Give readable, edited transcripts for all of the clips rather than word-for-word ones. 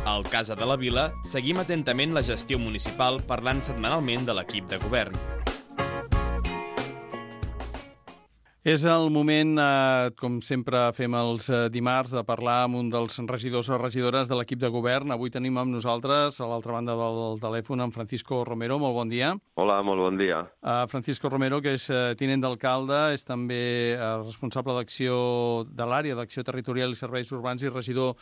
Al Casa de la Vila seguim atentament la gestió municipal parlant setmanalment de l'equip de govern. És el moment, com sempre fem els dimarts, de parlar amb un dels regidors o regidores de l'equip de govern. Avui tenim amb nosaltres, a l'altra banda del telèfon, en Francisco Romero. Molt bon dia. Hola, molt bon dia. Francisco Romero, que és tinent d'alcalde, és també responsable de l'àrea d'acció territorial i serveis urbans i regidor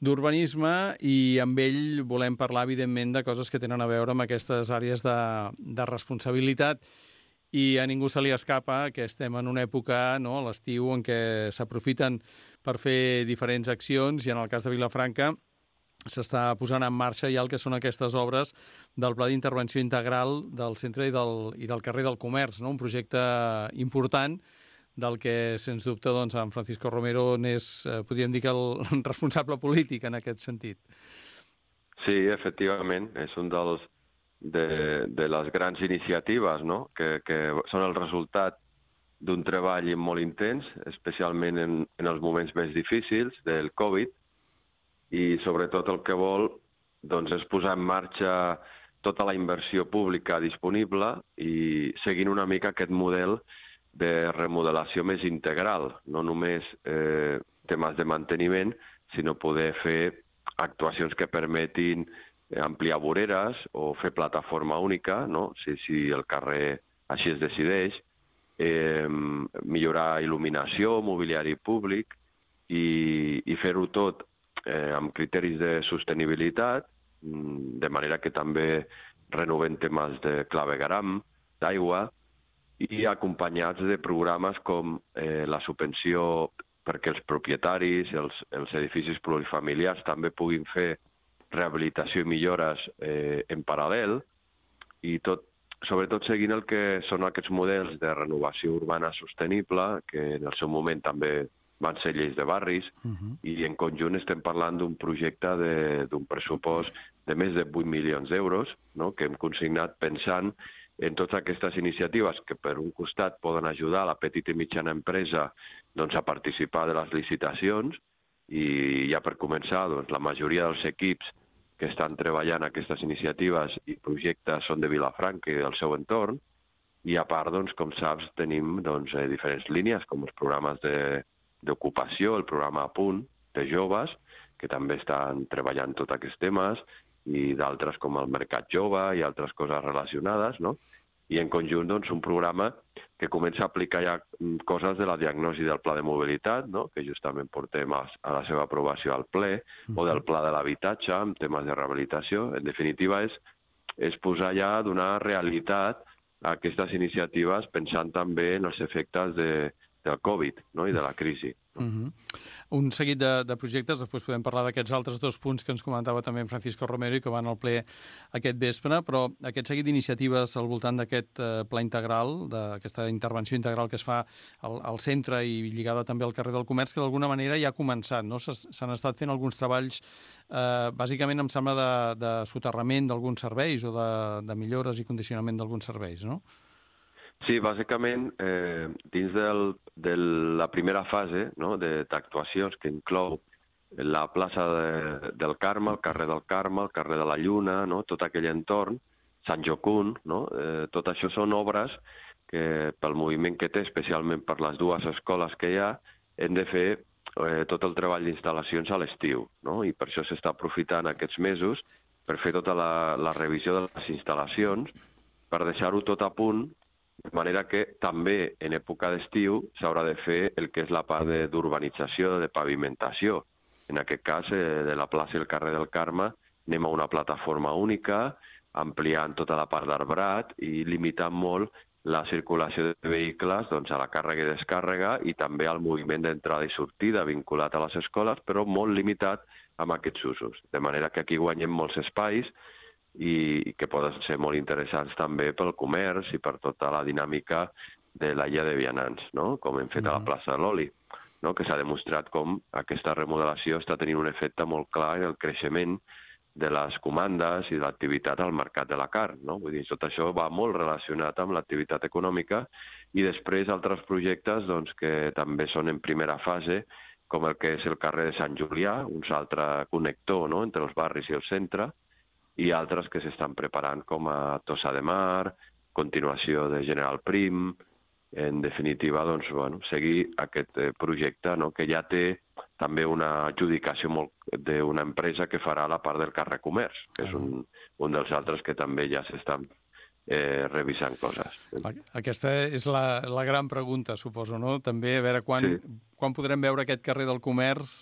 d'urbanisme, i amb ell volem parlar, evidentment, de coses que tenen a veure amb aquestes àrees de responsabilitat. I a ningú se li escapa que estem en una època, a l'estiu, en què s'aprofiten per fer diferents accions, i en el cas de Vilafranca s'està posant en marxa ja el que són aquestes obres del Pla d'Intervenció Integral del centre i del carrer del Comerç, un projecte important del que, sens dubte, en Francisco Romero n'és, podríem dir, que el responsable polític en aquest sentit. Sí, efectivament, és un de les grans iniciatives, que són el resultat d'un treball molt intens, especialment en els moments més difícils del Covid, i sobretot el que vol és posar en marxa tota la inversió pública disponible i seguint una mica aquest model de remodelació més integral, no només temes de manteniment, sinó poder fer actuacions que permetin ampliar voreres o fer plataforma única, si el carrer així es decideix, millorar il·luminació, mobiliari públic i fer-ho tot amb criteris de sostenibilitat, de manera que també renovem temes de clavegueram, d'aigua, i acompanyats de programes com la subvenció perquè els propietaris, els edificis plurifamiliars també puguin fer rehabilitació i millores en paral·lel, i sobretot seguint el que són aquests models de renovació urbana sostenible, que en el seu moment també van ser lleis de barris, i en conjunt estem parlant d'un projecte d'un pressupost de més de 8 milions d'euros, que hem consignat pensant en totes aquestes iniciatives que, per un costat, poden ajudar a la petita i mitjana empresa a participar de les licitacions, i ja per començar, la majoria dels equips que estan treballant aquestes iniciatives i projectes són de Vilafranca i del seu entorn, i a part, com saps, tenim diferents línies, com els programes d'ocupació, el programa A Punt de joves, que també estan treballant tots aquests temes, i d'altres com el Mercat Jove i altres coses relacionades, i en conjunt un programa que comença a aplicar ja coses de la diagnosi del Pla de Mobilitat, que justament portem a la seva aprovació al ple, o del Pla de l'Habitatge, amb temes de rehabilitació. En definitiva, és posar ja, donar realitat a aquestes iniciatives pensant també en els efectes del Covid i de la crisi. Un seguit de projectes, després podem parlar d'aquests altres dos punts que ens comentava també en Francisco Romero i que van al ple aquest vespre, però aquest seguit d'iniciatives al voltant d'aquest pla integral, d'aquesta intervenció integral que es fa al centre i lligada també al carrer del Comerç, que d'alguna manera ja ha començat, s'han estat fent alguns treballs, bàsicament em sembla de soterrament d'alguns serveis o de millores i condicionament d'alguns serveis, no? Sí, bàsicament, dins de la primera fase d'actuacions que inclou la plaça del Carme, el carrer del Carme, el carrer de la Lluna, tot aquell entorn, Sant Jocund, tot això són obres que pel moviment que té, especialment per les dues escoles que hi ha, hem de fer tot el treball d'instal·lacions a l'estiu, i per això s'està aprofitant aquests mesos per fer tota la revisió de les instal·lacions, per deixar-ho tot a punt, de manera que també en època d'estiu s'haurà de fer el que és la part d'urbanització, de pavimentació. En aquest cas, de la plaça i el carrer del Carme, anem a una plataforma única, ampliant tota la part d'arbrat i limitant molt la circulació de vehicles a la càrrega i descàrrega i també al moviment d'entrada i sortida vinculat a les escoles, però molt limitat amb aquests usos. De manera que aquí guanyem molts espais i que poden ser molt interessants també pel comerç i per tota la dinàmica de la guia de vianants, com hem fet a la plaça de l'Oli, que s'ha demostrat com aquesta remodelació està tenint un efecte molt clar en el creixement de les comandes i de l'activitat al mercat de la carn. Vull dir, tot això va molt relacionat amb l'activitat econòmica i després altres projectes que també són en primera fase, com el que és el carrer de Sant Julià, un altre connector, no?, entre els barris i el centre, i altres que s'estan preparant com a Tossa de Mar, continuació de General Prim, en definitiva, doncs, bueno, seguir aquest projecte, no?, que ja té també una adjudicació d'una empresa que farà la part del carrer Comerç, que és un dels altres que també ja s'estan revisant coses. Aquesta és la gran pregunta, suposo, no? També a veure quan podrem veure aquest carrer del Comerç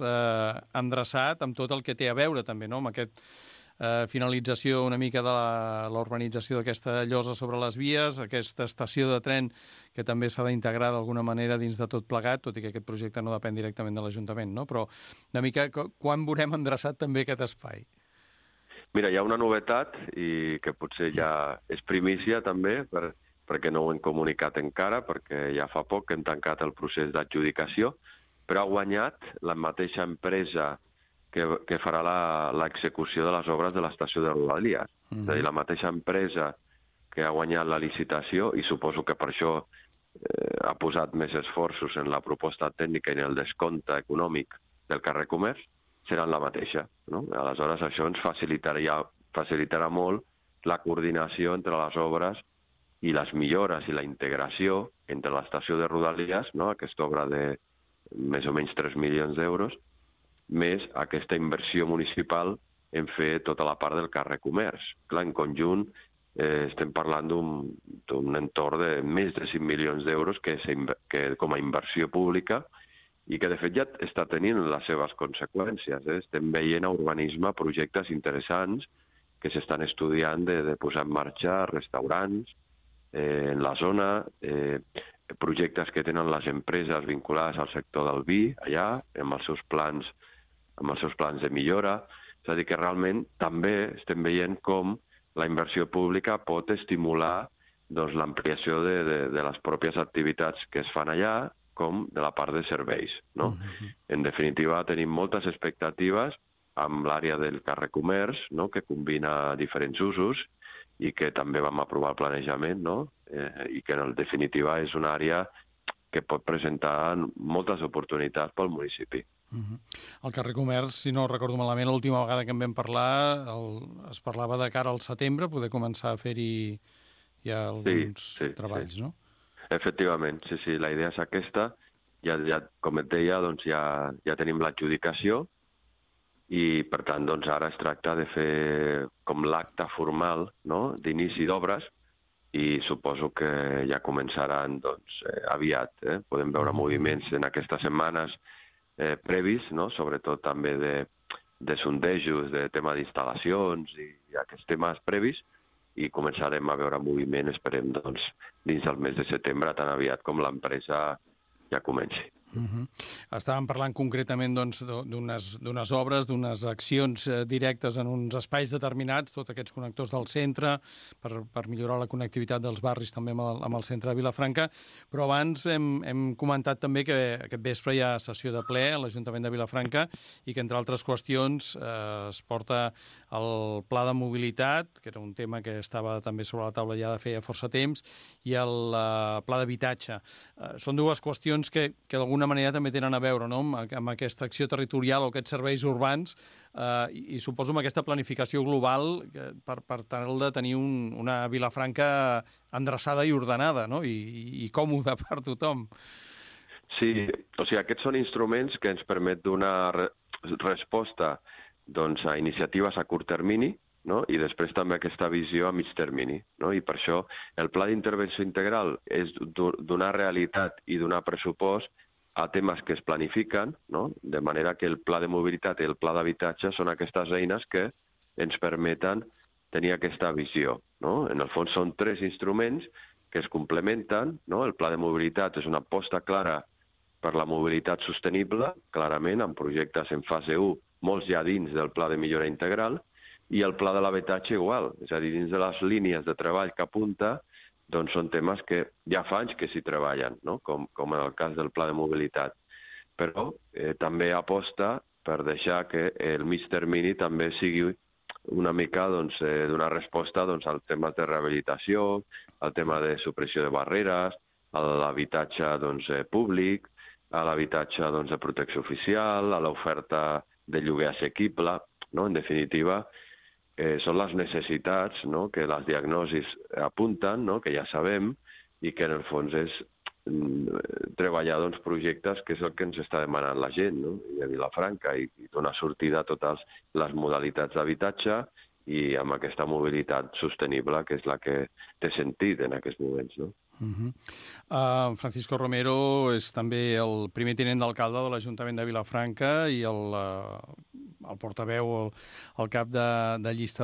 endreçat amb tot el que té a veure també, no?, amb aquest finalització una mica de la urbanització d'aquesta llosa sobre les vies, aquesta estació de tren que també s'ha d'integrar d'alguna manera dins de tot plegat, tot i que aquest projecte no depèn directament de l'Ajuntament, no? Però una mica quan veurem endreçat també aquest espai? Mira, hi ha una novetat i que potser ja és primícia també, perquè no ho hem comunicat encara, perquè ja fa poc que hem tancat el procés d'adjudicació, però ha guanyat la mateixa empresa que farà l'execució de les obres de l'estació de Rodalies. És a dir, la mateixa empresa que ha guanyat la licitació, i suposo que per això ha posat més esforços en la proposta tècnica i en el descompte econòmic del carrer Comerç, seran la mateixa, no? Aleshores, això ens facilitarà molt la coordinació entre les obres i les millores i la integració entre l'estació de Rodalies, no?, aquesta obra de més o menys 3 milions d'euros, més aquesta inversió municipal en fer tota la part del carrer Comerç. Clar, en conjunt estem parlant d'un entorn de més de 5 milions d'euros que com a inversió pública i que de fet ja està tenint les seves conseqüències. Estem veient a urbanisme projectes interessants que s'estan estudiant de posar en marxa restaurants en la zona, projectes que tenen les empreses vinculades al sector del vi allà, amb els seus plans de millora. És a dir, que realment també estem veient com la inversió pública pot estimular l'ampliació de les pròpies activitats que es fan allà, com de la part de serveis, no? En definitiva, tenim moltes expectatives amb l'àrea del carrer Comerç, no?, que combina diferents usos i que també vam aprovar el planejament, no?, i que en definitiva és una àrea que pot presentar moltes oportunitats pel municipi. El carrer Comerç, si no recordo malament, l'última vegada que en vam parlar es parlava de cara al setembre, poder començar a fer-hi ja alguns treballs, no? Efectivament, sí, la idea és aquesta. Ja com et deia, doncs ja tenim l'adjudicació i, per tant, doncs ara es tracta de fer com l'acte formal, no?, d'inici d'obres, i suposo que ja començaran aviat. Podem veure moviments en aquestes setmanes previs, no?, sobretot també de sondejos, de tema d'instal·lacions i aquests temes previs, i començarem a veure moviment, esperem, dins del mes de setembre, tan aviat com l'empresa ja comenci. Estàvem parlant concretament d'unes obres, d'unes accions directes en uns espais determinats, tots aquests connectors del centre, per millorar la connectivitat dels barris també amb el centre de Vilafranca, però abans hem comentat també que aquest vespre hi ha sessió de ple a l'Ajuntament de Vilafranca i que, entre altres qüestions, es porta el pla de mobilitat, que era un tema que estava també sobre la taula ja de feia força temps, i el pla d'habitatge. Són dues qüestions que d'alguna manera també tenen a veure, no?, amb aquesta acció territorial o aquests serveis urbans i suposo amb aquesta planificació global per tal de tenir una Vilafranca endreçada i ordenada, no?, i còmoda per tothom. Sí, o sigui, aquests són instruments que ens permet donar resposta a iniciatives a curt termini, no?, i després també aquesta visió a mig termini, no? I per això el pla d'intervenció integral és donar realitat i donar pressupost a temes que es planifiquen, no?, de manera que el pla de mobilitat i el pla d'habitatge són aquestes eines que ens permeten tenir aquesta visió, no? En el fons són 3 instruments que es complementen, no? El pla de mobilitat és una aposta clara per la mobilitat sostenible, clarament, amb projectes en fase 1, molts ja dins del pla de millora integral, i el pla de l'habitatge igual, és a dir, dins de les línies de treball que apunta, doncs són temes que ja fa anys que s'hi treballen, no?, com en el cas del pla de mobilitat. Però també aposta per deixar que el mig termini també sigui una mica donar resposta al tema de rehabilitació, al tema de supressió de barreres, a l'habitatge públic, a l'habitatge de protecció oficial, a l'oferta de lloguer assequible, no? En definitiva, són les necessitats, no? Que les diagnosis apunten, no? Que ja sabem, i que en el fons és treballar projectes que és el que ens està demanant la gent, no? I a Vilafranca, i donar sortida a totes les modalitats d'habitatge i amb aquesta mobilitat sostenible, que és la que té sentit en aquests moments, no? Francisco Romero és també el primer tinent d'alcalde de l'Ajuntament de Vilafranca i el portaveu, el cap de llista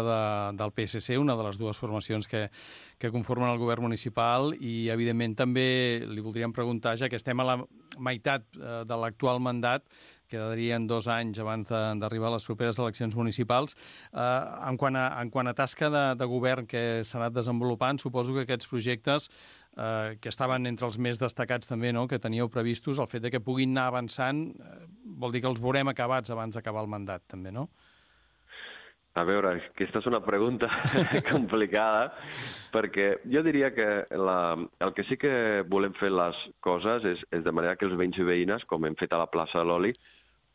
del PSC, una de les dues formacions que conformen el govern municipal, i evidentment també li voldríem preguntar, ja que estem a la meitat de l'actual mandat, quedarien 2 anys abans d'arribar a les properes eleccions municipals. En quant a tasca de govern que s'ha anat desenvolupant, suposo que aquests projectes que estaven entre els més destacats també, no?, que teníeu previstos, el fet de que puguin anar avançant vol dir que els veurem acabats abans d'acabar el mandat, també, no? A veure, aquesta és una pregunta complicada, perquè jo diria que el que sí que volem fer les coses és de manera que els veïns i veïnes, com hem fet a la plaça de l'Oli,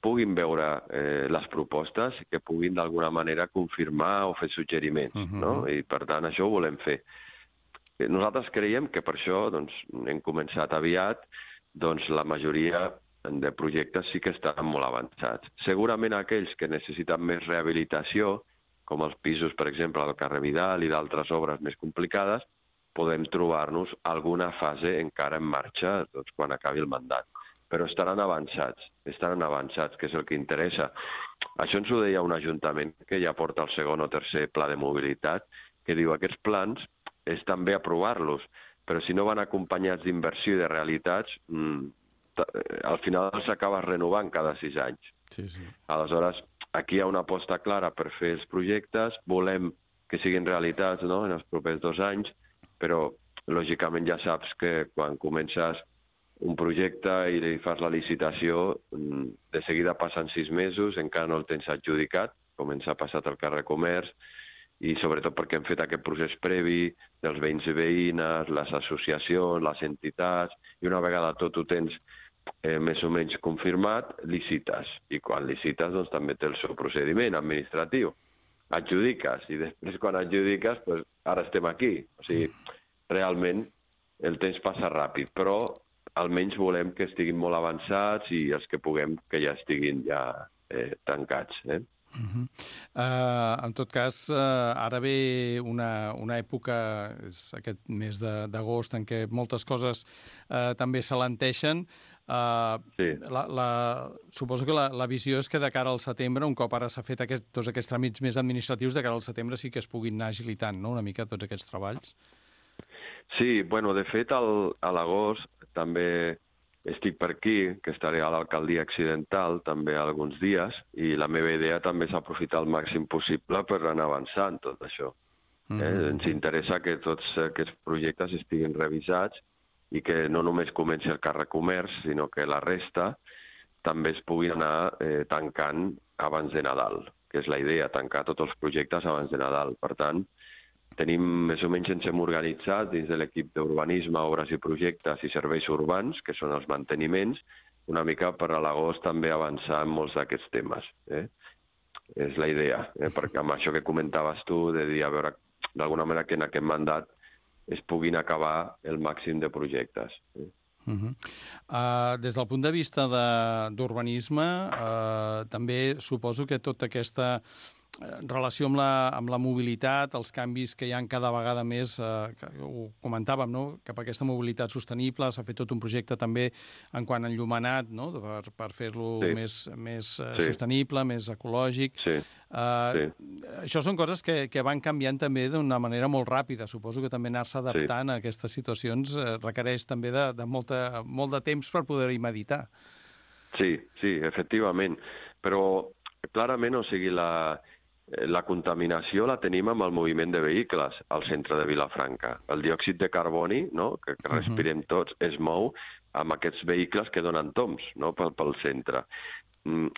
puguin veure les propostes i que puguin d'alguna manera confirmar o fer suggeriments, no? I per tant això ho volem fer. Nosaltres creiem que per això hem començat aviat, la majoria de projectes sí que estan molt avançats. Segurament aquells que necessiten més rehabilitació, com els pisos, per exemple, al carrer Vidal i d'altres obres més complicades, podem trobar-nos alguna fase encara en marxa quan acabi el mandat. Però estaran avançats, que és el que interessa. Això ens ho deia un ajuntament que ja porta el segon o tercer pla de mobilitat, que diu aquests plans és també aprovar-los, però si no van acompanyats d'inversió i de realitats, al final s'acaba renovant cada 6 anys. Sí. Aleshores, aquí hi ha una aposta clara per fer els projectes, volem que siguin realitats, no?, en els propers 2 anys, però lògicament ja saps que quan comences un projecte i li fas la licitació, de seguida passen 6 mesos, encara no el tens adjudicat, com ens ha passat al carrer Comerç, i sobretot perquè hem fet aquest procés previ dels veïns i veïnes, les associacions, les entitats, i una vegada tot ho tens més o menys confirmat, licites. I quan licites, també té el seu procediment administratiu. Adjudiques, i després quan adjudiques, ara estem aquí. O sigui, realment el temps passa ràpid, però almenys volem que estiguin molt avançats i els que puguem que ja estiguin tancats. En tot cas, ara ve una època, és aquest mes d'agost, en què moltes coses també s'alenteixen. Sí. Suposo que la visió és que de cara al setembre, un cop ara s'ha fet tots aquests tràmits més administratius, de cara al setembre sí que es puguin anar agilitant, no?, una mica tots aquests treballs. Sí, de fet, a l'agost també estic per aquí, que estaré a l'alcaldia accidental també alguns dies, i la meva idea també és aprofitar el màxim possible per anar avançant tot això. Ens interessa que tots aquests projectes estiguin revisats i que no només comenci el carrer Comerç, sinó que la resta també es puguin anar tancant abans de Nadal, que és la idea, tancar tots els projectes abans de Nadal. Per tant, tenim, més o menys ens hem organitzat dins de l'equip d'urbanisme, obres i projectes i serveis urbans, que són els manteniments, una mica per a l'agost també avançar en molts d'aquests temes. És la idea, perquè amb això que comentaves tu, de dir, a veure, d'alguna manera que en aquest mandat es puguin acabar el màxim de projectes. Des del punt de vista d'urbanisme, també suposo que tota aquesta relació amb la mobilitat, els canvis que hi ha cada vegada més, que ho comentàvem, no?, cap a aquesta mobilitat sostenible, s'ha fet tot un projecte també en quant a enllumenat, no?, per fer-lo més sostenible, més ecològic. Això són coses que van canviant també d'una manera molt ràpida. Suposo que també anar-se adaptant a aquestes situacions requereix també de molt de temps per poder-hi meditar. Sí, efectivament. Però clarament, o sigui, la contaminació la tenim amb el moviment de vehicles al centre de Vilafranca. El diòxid de carboni, no?, que respirem tots, es mou amb aquests vehicles que donen tombs, no?, pel centre.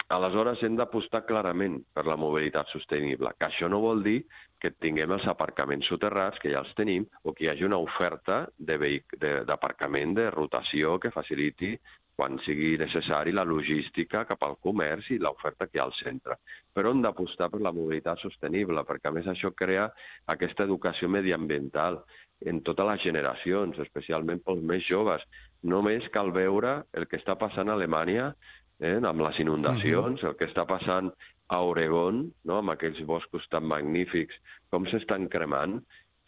Aleshores hem d'apostar clarament per la mobilitat sostenible, que això no vol dir que tinguem els aparcaments soterrats, que ja els tenim, o que hi hagi una oferta d'aparcament de rotació que faciliti quan sigui necessari, la logística cap al comerç i l'oferta que hi ha al centre. Però hem d'apostar per la mobilitat sostenible, perquè a més això crea aquesta educació mediambiental en totes les generacions, especialment pels més joves. Només cal veure el que està passant a Alemanya amb les inundacions, el que està passant a Oregon, no? Amb aquells boscos tan magnífics, com s'estan cremant.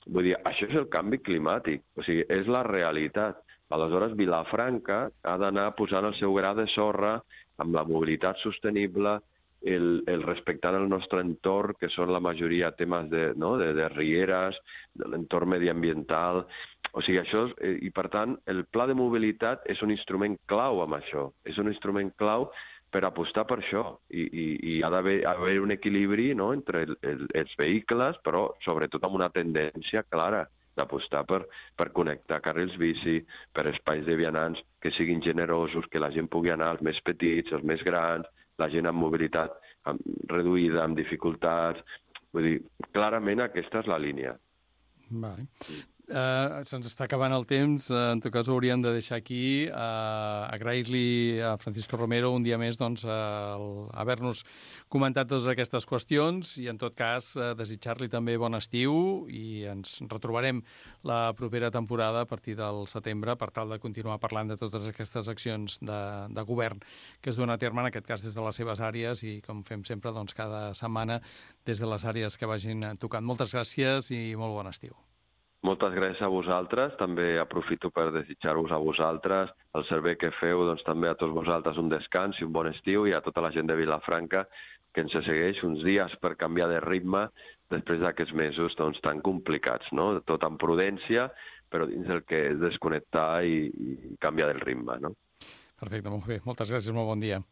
Vull dir, això és el canvi climàtic, o sigui, és la realitat. Aleshores, Vilafranca ha d'anar posant el seu gra de sorra amb la mobilitat sostenible, el respectant el nostre entorn, que són la majoria temes de rieres, de l'entorn mediambiental. O sigui, això i per tant, el pla de mobilitat és un instrument clau amb això. És un instrument clau per apostar per això. I ha d'haver un equilibri, no?, entre els vehicles, però sobretot amb una tendència clara d'apostar per connectar carrils bici, per espais de vianants que siguin generosos, que la gent pugui anar, els més petits, els més grans, la gent amb mobilitat reduïda, amb dificultats. Vull dir, clarament aquesta és la línia. Vale. Se'ns està acabant el temps, en tot cas ho hauríem de deixar aquí. Agrair-li a Francisco Romero un dia més haver-nos comentat totes aquestes qüestions i en tot cas desitjar-li també bon estiu i ens retrobarem la propera temporada a partir del setembre per tal de continuar parlant de totes aquestes accions de govern que es duen a terme, en aquest cas des de les seves àrees i com fem sempre doncs, cada setmana des de les àrees que vagin tocant. Moltes gràcies i molt bon estiu. Moltes gràcies a vosaltres. També aprofito per desitjar-vos a vosaltres el servei que feu, doncs també a tots vosaltres un descans i un bon estiu i a tota la gent de Vilafranca que ens segueix uns dies per canviar de ritme després d'aquests mesos doncs, tan complicats, no? Tot amb prudència, però dins el que és desconnectar i canviar del ritme, no? Perfecte, molt bé. Moltes gràcies, molt bon dia.